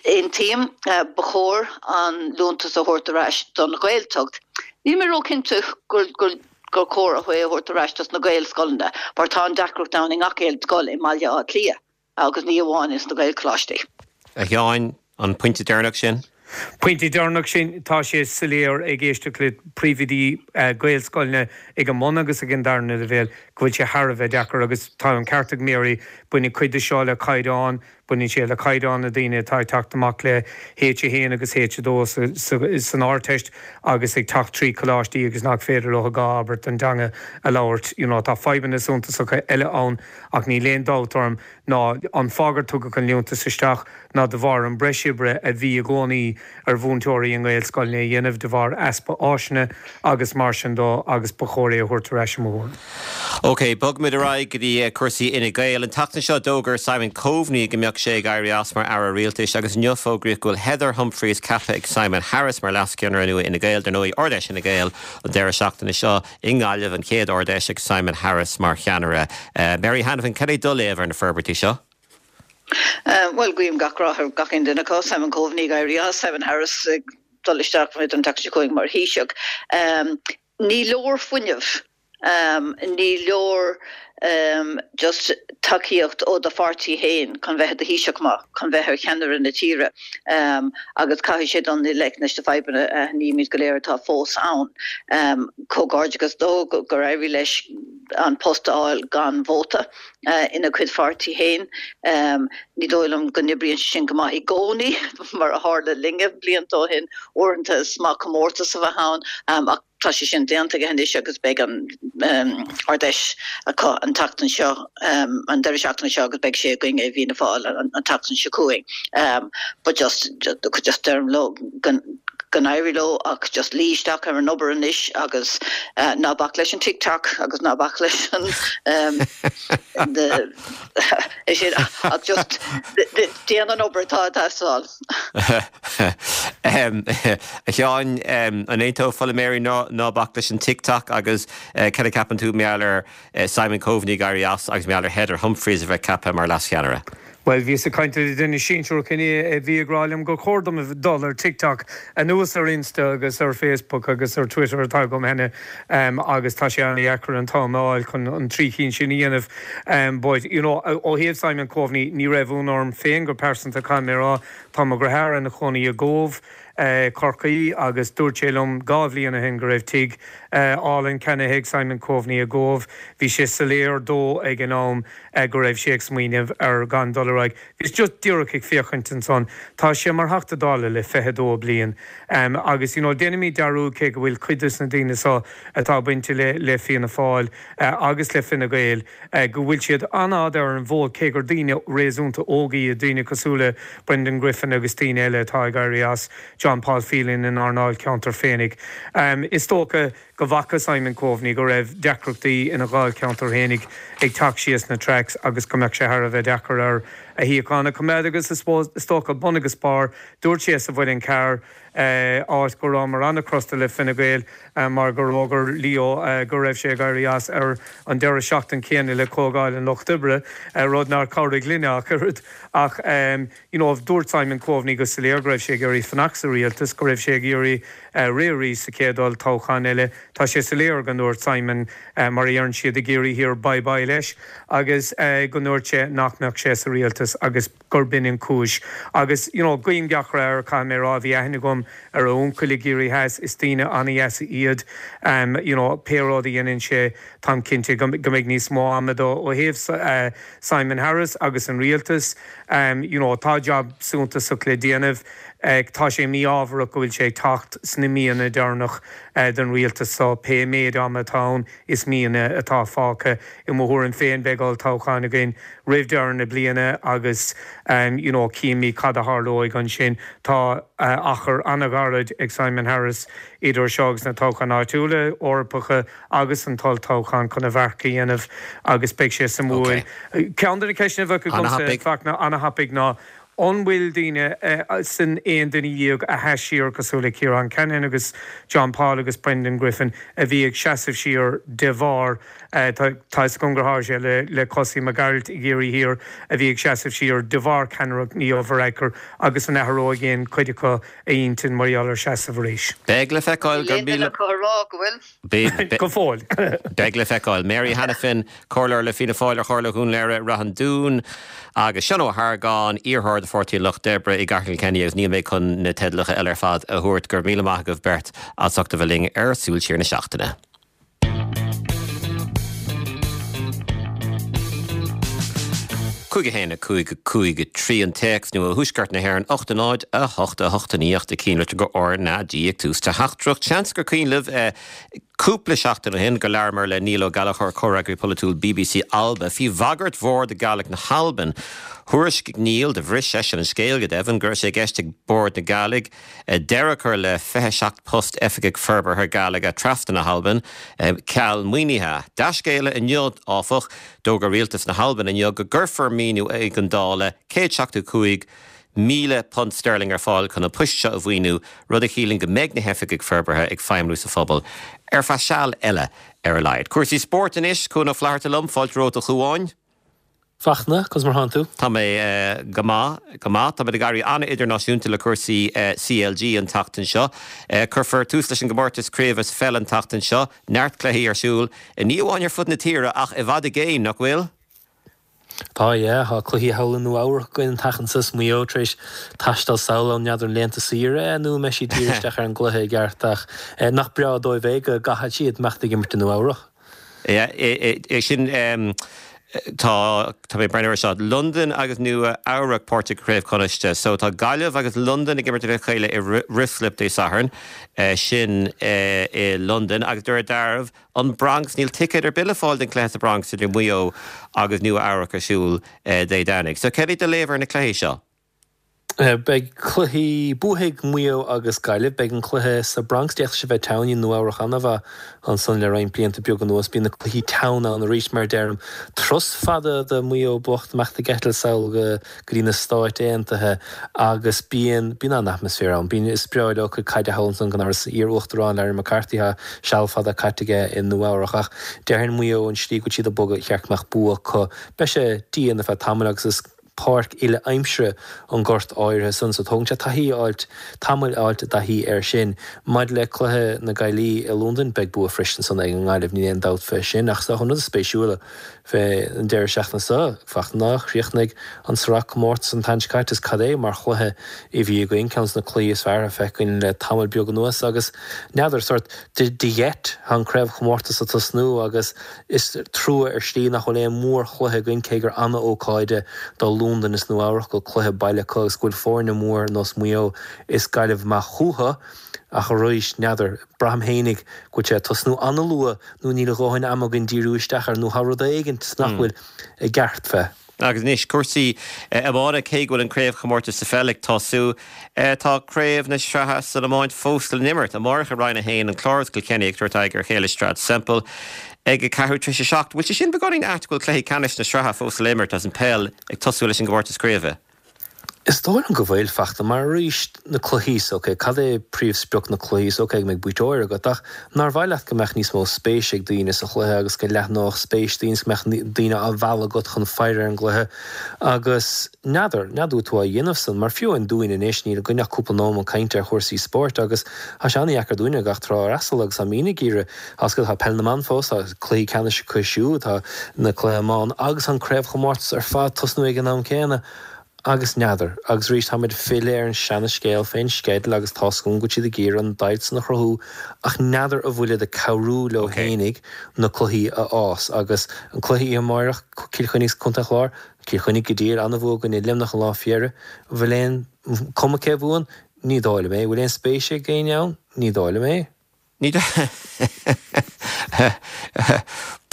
Aontaím uh, ba chóir an liúntas a thabhairt ar ais don Ghaeltacht. Níl mé róchinnte gur gur gur chóir a thabhairt ar ais dos na Gaelscoileanna, mar tá an deacracht ann i ngach aon scoil i mBaile Átha Cliath agus ní amháin is na Gaelcholáistí. A Sheáin, an pointe deireanach sin? Pointe deireanach sin tá sé soiléir ag éisteacht le príomhoidí Gaelscoileanna ag an mbun agus ag an darna leibhéal go bhfuil sé thar a bheith deacair agus tá an ceart ag Mary baineann cuid de seo le caighdeán, baineann sé le caighdeán na daoine atá ag teacht amach le H a haon agus H a dó san Ardteist agus ag teacht trí choláistí agus nach féidir leo dhá abairt den teanga a labhairt. You know, tá fadhbanna suntasacha eile ann ach níl aon dabht orm ná an fáth gur tugadh an liúntas isteach ná de bharr an breis oibre a bhí i gcónaí ar mhúinteoirí i nGaelscoileanna a dhéanamh de bharr easpa áiseanna agus mar sin de agus ba chóir é a thabhairt ar ais i mo thuairim. Ok, bogfaimid ar aghaidh go dtí cúrsaí Fhine Gael. An tseachtain seo d'fhógair Simon Coveney go mbeadh sé ag éirí as mar aire rialtais agus inniu fógraíodh go bhfuil Heather Humphreys ceaptha ag Simon Harris mar leascheannaire nua Fhine Gael, dar ndóigh Ard-Fheis Fhine Gael an deireadh seachtaine seo i nGaillimh an chéad Ard-Fheis ag Simon Harris mar cheannaire. Uh, Mary Hanafin, cad é do léamh ar na forbairtí seo? Uh, well guím gach rath ar gach aon duine acu Simon Coveney ag éirí as Simon Harris ag dul isteach an tseachtain seo chugainn mar Thaoiseach. Um, ní leor fuinneamh um, ní leor um, just tacaíocht ó do pháirtí féin chun bheith i do Thaoiseach maith chun bheith ar cheannaire na tíre um, agus caithfidh sé dul i ngleic leis na fadhbanna uh, nímid go léir atá fós ann. Um, Comhghairdeachas dó gur éirigh leis an post a fháil gan vóta uh, ina chuid pháirtí féin. Um, ní dóigh liom go n-oibríonn sin go maith i gcónaí mar a tharla linne blianta ó shin uaireanta is maith comórtas a bheith ann um, ach tá sé sin déanta anois agus beidh an um, Ard-Fheis acu an tseachtain seo um, an deireadh seachtaine seo agus beidh sé againn i bhFianna Fáil an, an tseachtain seo chugainn. Um, but just just, just deirim leo Go n-éirí leo ach just luí isteach ar an obair anois agus ná bac leis an TikTok agus ná bac leis an é sin ach just déan an obair atá ag teastáil. A Sheáin, an aontófá le Mary ná bac leis an TikTok agus cad a ceapann tú mar gheall ar Simon Coveney ag éirí as agus mar gheall ar Heather Humphreys a bheith ceaptha mar leascheannaire? Bhuel, bhíos ag caint le duine sinsearach inné a bhí ag rá liom gur chóir dom dul ar TikTok, anuas ar Insta agus ar Facebook agus ar Twitter atá agam cheana agus tá sé an-dheacair an t-am a fháil chun an trí chinn sin a dhéanamh. But, you know, ó thaobh Simon Coveney, ní raibh ionadh orm féin go pearsanta, caithfidh mé a rá, tá mo dheartháir ina chónaí i gCóbh, Corcaí agus dúirt sé liom dhá bhliain ó shin go raibh tigh álainn ceannaithe ag Simon Coveney i gCóbh. Bhí sé soiléir dó ag an am go raibh sé ag smaoineamh ar gan dul ar aghaidh. Bhíos just díreach ag féachaint ansan. Tá sé mar Theachta Dála le fiche dó bliain agus you know déanaimid dearúd cé go bhfuil cuid de na daoine seo atá bainte le le Fianna Fáil agus le Fine Gael go bhfuil siad an-fhada ar an bhfód cé gur daoine réasúnta óga iad, daoine cosúil le Brendan Griffin agus daoine eile atá ag éirí as, John Paul Phelan inár ndáilcheantar féinig. Is dócha go bhfaca Simon Coveney go raibh deacrachtaí ina dháilcheantar féinig ag teacht síos na tracks agus go mbeadh sé thar a bheith deacair air a shuíochán a choimeád agus is dócha bun agus barr, dúirt sé sa Mhuileann Cearr, áit go rabhamar an-chrosta le Fine Gael mar gur fhógair Leo go raibh sé ag éirí as ar an deireadh seachtain céanna le Comhdháil an Lucht Oibre, rud nár chabhraigh linne ach oiread. Ach you know dúirt Simon Coveney go soiléir go raibh sé ag iarraidh fanacht sa rialtas, go raibh sé ag iarraidh rith arís sa chéad olltoghchán eile. Tá sé soiléir go ndúirt Simon, mar a deireann siad i gCiarraí Thiar, bye bye leis agus go ndúirt sé nach mbeadh sé sa rialtas agus gurb in an cúis. Agus you know guím gach rath air, caithfidh mé a rá, bhí aithne agam ar a uncail i gCiarraí Theas, is daoine an-dheasa iad. You know pé rud a dhéanann sé, táim cinnte go mbeidh níos mó ama dó. Ó thaobh Simon Harris agus an rialtas, you know tá jab suntasach le déanamh. Tá sé mí-ámharach go bhfuil sé ag teacht sna míonna deireanach den rialtas so pé méid ama atá ann is míonna atá fágtha. I mo thuairim féin beidh olltoghchán againn roimh deireadh na bliana agus you know cífimid cad a tharlóidh ansin. Tá achar an-ghairid ag Simon Harris idir seo agus na toghcháin áitiúla, Eorpacha agus an t-olltoghchán chun a mharc a dhéanamh agus beidh sé suimiúil. Ceann de na ceisteanna a bheadh agamsa, Fachtna, an-thapaidh ná an bhfuil daoine san aon duine dhéag a sheas siar cosúil le Ciarán Cannon agus John Paul agus Brendan Griffin a bhí ag seasamh siar de bharr tá a fhios agam gur tharla sé le le Kosi Mac Gearailt i gCiarraí Thiar a bhí ag seasamh siar de bharr ceannaireacht Leo Varadkar agus an athróidh aon chuid acu a intinn mar gheall ar seasamh arís. Beidh le feiceáil gur míle. Níl aon duine acu a rá go bhfuil. Go fóill. Beidh le feiceáil. Mary Hanafin, Comhairleoir le Fianna Fáil ar Chomhairle Dhún Laoghaire-Rath an Dúin, agus Seán Ó hArgáin, iarrthóir do Pháirtí an Lucht Oibre i gCathair Kilkenny agus níl mé chun na teidleacha eile ar fad a thabhairt. Go raibh míle maith agaibh beirt as ucht a bheith linn ar Súil Siar na Seachtaine. cúig a haon a cúig a cúig a trí an téacs nó ó thuaisceart na hÉireann ocht a náid a hocht a hocht a naoi ocht a cinnlitir go R na G ag tús teachtaireacht. Seans gur cuimhin libh cúpla seachtain ó shin gur labhramar le Niall Ó Gallchóir, comhfhreagraí polaitiúil bbc Alba, faoi bhagairt mhór do Gàidhlig na hAlban. Thuairiscigh Niall, do bhris seisean an scéal go deimhin, go raibh sé i gceist ag Bord na Gàidhlig deireadh a chur le fiche seacht post oifigigh forbartha Gàidhlige trasna na hAlban, ceal maoinithe. Dea-scéala inniu, áfach, d'fhógair rialtas na hAlban inniu go gcuirfear maoiniú éigeandála céad seachtó cúig míle punt sterling ar fáil chun na poist seo a mhaoiniú, rud a chiallaíonn go mbeidh na hoifigigh forbartha ag feidhmiú sa phobal ar feadh seal eile ar a laghad. Cúrsaí spóirt anois, Cuan Ó Flatharta liom, fáilte romhat a Chuáin. Fachtna, conas mar thánn tú? Tá mé go maith, go maith. Táimid ag éirí an-idirnáisiúnta le cúrsaí CLG an tseachtain seo. Cuirfear tús leis an gcomórtas craoibhe sa pheil an tseachtain seo. Neart cluichí ar siúl, ní amháin ar fud na tíre ach i bhfad i gcéin, nach bhfuil? Tá, yeah. Tá cluichí thall i Nua Eabhrac againn an tseachtain seo is Maigh Eo tar éis taisteal sall ann n'fheadar an laethanta saoire é nó an mbeidh siad díriú isteach ar an gcluiche i gceart ach nach breá dóibh é go gcaithfidh siad imeacht ag imirt i Nua Eabhrac. Yeah, é sin tá tá mé ag breathnú air seo. Londain agus Nua Eabhrac páirteach i gCraobh Chonnacht. So tá Gaillimh agus Londain ag imirt le chéile i Ruislip Dé Sathairn, sin i Londain agus de réir dealraimh an Bronx, níl ticéad ar bith le fáil don chluiche sa Bronx idir Maigh Eo agus Nua Eabhrac ar siúl Dé Domhnaigh. So céard é do léamh ar na cluichí seo? Beidh cluichí buafaidh Maigh Eo agus Gaillimh. Beidh an cluiche sa Bronx. D'fhéadfadh sé bheith teann i Nua Eabhrac an-mhaith ansan le roinnt blianta beaga anuas. Bíonn na cluichí teann ann arís mar a deirim. Turas fada do Mhaigh Eo bocht imeacht ag eitilt sall go dtí na Stáit Aontaithe agus bíonn bíonn an-atmaisféar ann. Bíonn is breá leo cuid caide thall ansan gan amhras. Iar-Uachtarán Larry McCarthy tá seal fada caite aige i Nua Eabhrac ach déarfainn Maigh Eo an slí go bhfuil siad ag bogadh cheart go mbeadh bua acu. Beidh sé dian ar feadh tamaill agus is páirc uile aimsire an gort áirithe san so tógann sé taithí a fháilt, tamall a fháilt i dtaithí air sin. Maidir le cluiche na Gaillimhe i Londain, beidh bua freisin san ag an nGaillimh, níl aon dabht fé sin. Ach is dócha an rud is spéisiúla fé an deireadh seachtaine seo, fachta ná chríochnaigh an sraith comórtas an tseachtain seo caite is cad é mar chluiche a bhí againn, ceann de na cluichí is fearr atá feicthe againn le tamall beag anuas agus n'fheadar, sórt de gheit, tá an craobhchomórtas ag tosnú agus is trua ar shlí nach bhfuil aon mhórchluiche againn cé gur ana-ócáid é do Londain is Nua Eabhrac go bhfuil cluiche baile acu agus go bhfuil foirne mór nós Maigh Eo is Gaillimh amach chucu ach arís n'fheadar, braithim fhéinig go bhfuil sé ag tosnú ana-luath nó níl a dhóthain ama againn díriú isteach air nó tá rud éigint nach bhfuil i gceart fé. Agus anois cúrsaí iomána, cé go bhfuil an craobhchomórtas sa pheil ag tosú, tá craobh na sraithe san iomáint fós le n-imirt. Amárach i Roinn a haon, an Clár is Cill Chainnigh ag tabhairt aghaidh ar a chéile i Sráid Semple ag a ceathrú tar éis a seacht. Bhfuil sé sin beagáinín ait go bhfuil cluichí ceannais na sraithe fós le imirt agus an peil ag tosú leis an gcomórtas craoibhe? Is dóigh liom go bhfuil, fachta, mar arís na cluichí so, ok, cad é príomhsprioc na cluichí so, ok, go mbeidh buaiteoir agat, ach nár mhaith leat go mbeadh níos mó spéis ag daoine sa chluiche agus go leathnódh spéis daoine is go mbeadh daoine á mhealladh agat chun faire ar an gcluiche agus n'fheadar, n'fheadar an bhfuil tú á dhéanamh san, mar fiú amháin dúinn anois, níl againn ach cúpla nóiméad cainte ar chúrsaí spóirt agus tá sé an-dheacair dúinne gach tráth a fhreastal agus tá muidne ag iarraidh, tá tá peil na mban fós, tá cluichí ceannais acu siúd, tá na cluichí iomána agus an craobhchomórtas ar fad tosnú ag an am céanna. Agus n'fheadar. Agus arís táimid ag filleadh ar an seana-scéal fén sceideal agus tá's agam go bhfuil siad ag iarraidh an deighilt san a chruthú ach n'fheadar an bhfuilid ag cabhrú leo fhéinig na cluichí a fhás. Agus an cluiche oíche amáireach, Cill Chainnigh is Contae an Chláir, Cill Chainnigh go diail, ana-bhua i gcoinne Luimneach an lá fé dheireadh. An bhfuil aon cuma cé a bhuann? Ní dóigh liom é. An bhfuil aon spéis ag éinne ann? Ní dóigh liom é. Ní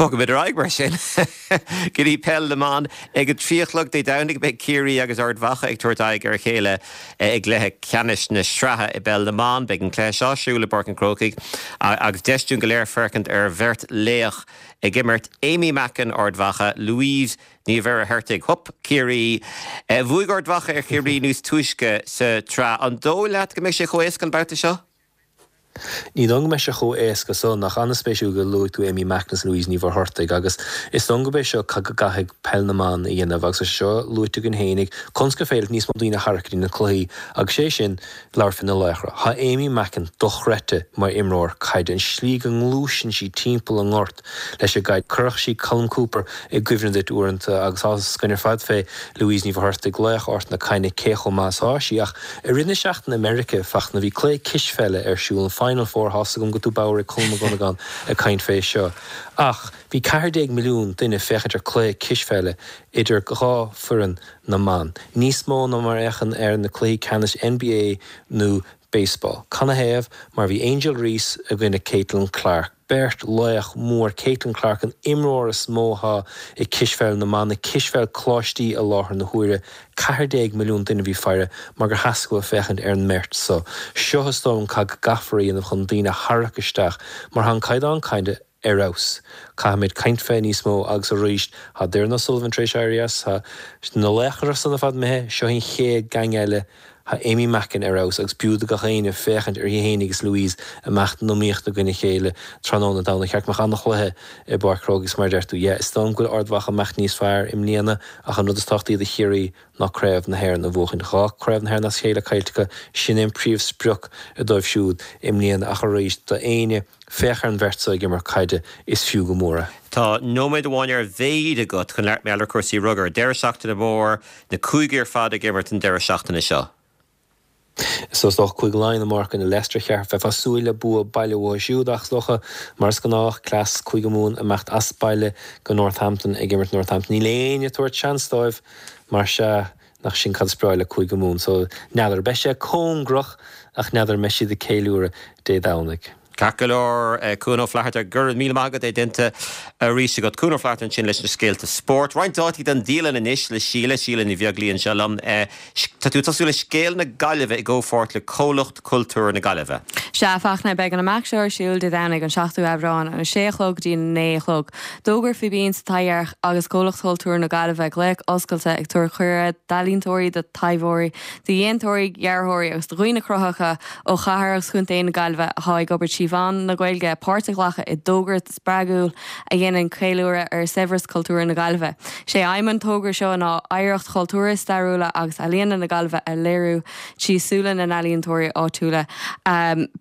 Bogfaimid ar aghaidh mar sin go dtí peil na mban. Ag a trí a chlog Dé Domhnaigh beidh Ciarraí agus Ard Mhacha ag tabhairt aghaidh ar a chéile i gcluiche ceannais na sraithe i bpeil na mban. Beidh an cluiche seo ar siúl i bPáirc an Chrócaigh agus deis dúinn go léir féachaint ar bheirt laoch ag imirt, Amy Mackin, Ard Mhacha, Louise Ní Mhuircheartaigh, hup, Ciarraí. Bhuaigh Ard Mhacha ar Chiarraí níos túisce sa tsraith. An dóigh leat go mbeidh sé chomh éasca an babhta seo? Ní dóigh liom go mbeidh sé chomh éasca san, ach an-spéisiúil gur luaigh tú Amy Mackin is Louise Ní Mhuircheartaigh agus is dóigh liom gurb é seo cad go gcaithfidh peil na mban a dhéanamh agus tá sé seo luaite againn fhéinig conas gur féidir níos mó daoine a tharrac go dtí na cluichí agus sé sin labhairt fé na laochra. Tá Amy Mackin dochreidte mar imreoir caide, an slí go ngluaiseann sí timpeall an ngort leis an gcaid. Chuirfeadh sí Colm Cooper i gcuimhne duit uaireanta agus tá fhios againn ar fad fé Louise Ní Mhuircheartaigh, laoch Ard na Caithne, cé chomh maith is atá sí. Ach i rith na seachtaine i Meiriceá, fachna, bhí cluiche cispheile ar siúl, an Final Four, tá fhios agam go bhfuil tú bodhar ag Colm Mac Dhonnagáin ag caint fé seo. Ach bhí ceathair déag milliún duine ag féachaint ar cluiche cispheile idir dhá foireann na mban, níos mó ná mar a fhéachann ar na cluichí ceannais NBA nó baseball. Canathaobh? Mar bhí Angel Reese i gcoinne Caitlin Clark, beirt laoch mór, Caitlin Clark an imreoir is mó atá i cispheil na mban, i cispheil coláistí i láthair na huaire. Ceathair déag milliún duine a bhí faire mar gur theastaigh uathu féachaint ar an mbeirt so. Seo is dóigh liom cad go gcaithfear a dhéanamh chun daoine a tharrac isteach mar tá an caighdeán caide ar fheabhas. Caithfimid caint fé níos mó agus arís tá Doireann O'Sullivan tar éis éirí as, tá na laochra san ar fad imithe, seo an chéad gang eile, tá Amy Mackin ar fheabhas agus b'fhiú do gach éinne féachaint uirthi fhéinig agus Louise ag imeacht in iomaíocht i gcoinne a chéile tráthnóna Domhnaigh. Cheart go mbeadh an-chluiche i bPáirc Chrócaigh agus mar a deir tú, yeah, is dóigh liom go bhfuil Ard Mhacha ag imeacht níos fearr i mbliana ach an rud is tábhachtaí do Chiarraí ná Craobh na hÉireann a bhuachaint. Dhá Craobh na Héireann as a chéile caillte acu, sin é an príomhsprioc dóibh siúd i mbliana ach arís do éinne, féach ar an bheirt seo ag imirt caide, is fiú go mór é. Tá nóiméad amháin ar a mhéad agat chun labhairt mar gheall ar chúrsaí rugair. Deireadh seachtaine mór, na cúigí ar fad ag imirt an deireadh seachtaine seo. So is dócha Cúige Laighean amárach i gcoinne Leicester cheart bheifeá ag súil le bua baile uathu siúd ach is dócha, mar is gnách, cleas Cúige Mumhan imeacht as baile go Northampton ag imirt Northampton. Níl éinne ag tabhairt seans dóibh mar sea nach sin cad is breá le Cúige Mumhan. So n'fheadar. Beidh sé cóngarach ach n'fheadar an mbeidh siad ag ceiliúradh Dé Domhnaigh. Ceart go leor, Cuan Ó Flatharta, go raibh míle maith agat é déanta arís agat. Cuan Ó Flatharta ansin leis na scéalta spóirt. Roinnt dátaí don dialann anois le Síle, Síle Ní Bheaglaoí anseo liom. Tá tú ag tosú le Scéal na Gaillimhe i gcomhpháirt le Comhlucht Cultúir na Gaillimhe. Sea, a Fachtna, beidh an imeacht seo ar siúl Dé Domhnaigh an seachtú Aibreán, ón a sé a chlog go dtí a naoi a chlog. D'fhógair Fíbín sa Taibhdhearc agus Comhlucht Chultúir na Gaillimhe glaoch oscailte ag tabhairt cuireadh d'ealaíontóirí, do thaibheoirí, do dhéantóirí, dhearthóirí agus do dhaoine cruthaitheacha ó chathair agus chontae na Gaillimhe atá ag obair trí mheán na Gaeilge páirt a ghlacadh i dtogra spreagúil a dhéanann ceiliúradh ar shaibhreas cultúrtha na Gaillimhe. Sé aidhm an togra seo ná oidhreacht chultúrtha, stairiúla agus ealaíona na Gaillimhe a léiriú trí súile na n-ealaíontóirí áitiúla.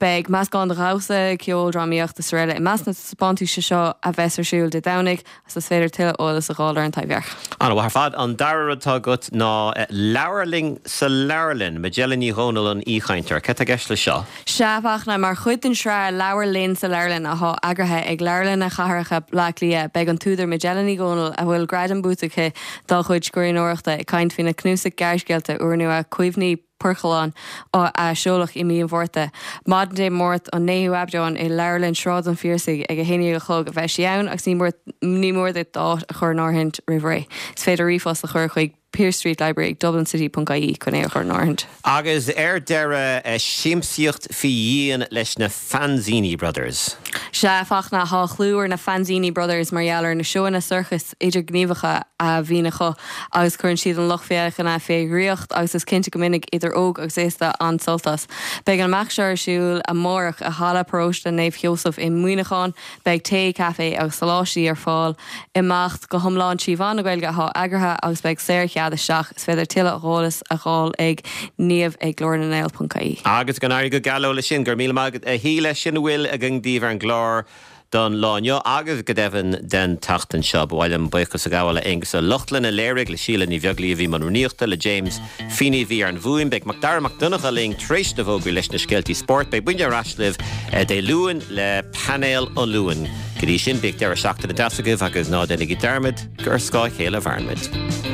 Beidh meascán de dhamhsa, ceol, drámaíocht is araile i measc na dtaispeántais seo a bheas ar siúl Dé Domhnaigh agus is féidir tuilleadh eolas a fháil ar An Taibhdhearc. An-mhaith ar fad. An dara rud atá agat ná Labhair Linn sa Leabharlann. Majella Ní Dhomhnaill an aoichainteoir. Cad tá i gceist leis seo? Sea, a Fhachtna, mar chuid den sraith Labhair Linn sa Leabharlann atá eagraithe ag Leabharlanna Chathracha Bhaile Átha Cliath, beidh an t-údar Majella Ní Dhomhnaill, a bhfuil gradaim buaite aici dá cuid scríbhneoireachta, ag caint faoina cnuasach gearrscéalta úrnua Cuimhní Poircealláin a seoladh i mí an Mhárta. Maidin Dé Máirt an naoú Aibreán i Leabharlann Shráid an Phiarsaigh ag a haon déag a chlog a bheidh sí ann agus ní mór ní mór duit d'áit a chur in áirithint roimh ré. Is féidir ríomhphost a chur chuig Pearse Street Library ag Dublin City ponc ie chun é a chur in áirithint. Agus ar deireadh, siamsaíocht faoi dhíon leis na Fanzini Brothers. Sea, a Fachtna, tá clú ar na Fanzini Brothers mar gheall ar na seóanna sorcais idirghníomhacha a bhíonn acu agus cuireann siad an lucht féachana fé dhraíocht agus is cinnte go mbainfidh idir óg agus aosta an-sult as. Beidh an imeacht seo ar siúl amárach i Halla Paróiste Naomh Sheosamh i Muineachán. Beidh tae, caife agus soláistí ar fáil. Imeacht go hiomlán trí mheán na Gaeilge atá eagraithe agus beidh saorchead isteach. Is féidir tuilleadh eolais a fháil ag niamh ag glórnangael ponc ie. Agus go n-éirí go geal leo leis sin. Go raibh míle maith agat a Shíle. Sin a bhfuil againn daoibh ar an gclár don lá inniu agus go deimhin den tseachtain seo. Ba mhaith liom buíochas a ghabháil le Aonghus Ó Lochlainn a léirigh, le Síle Ní Bheaglaoí a bhí i mbun rúnaíochta, le James Feeney a bhí ar an bhfuaim. Beidh Macdara Mac Donncha linn tar éis na bhfógraí leis na scéaltaí spóirt. Beidh muidne ar ais libh Dé Luain le Painéal an Luain. Go dtí sin, bíodh deireadh seachtaine deas agaibh agus ná déanaigí dearmad gur ar scáth a chéile a mhaireann muid.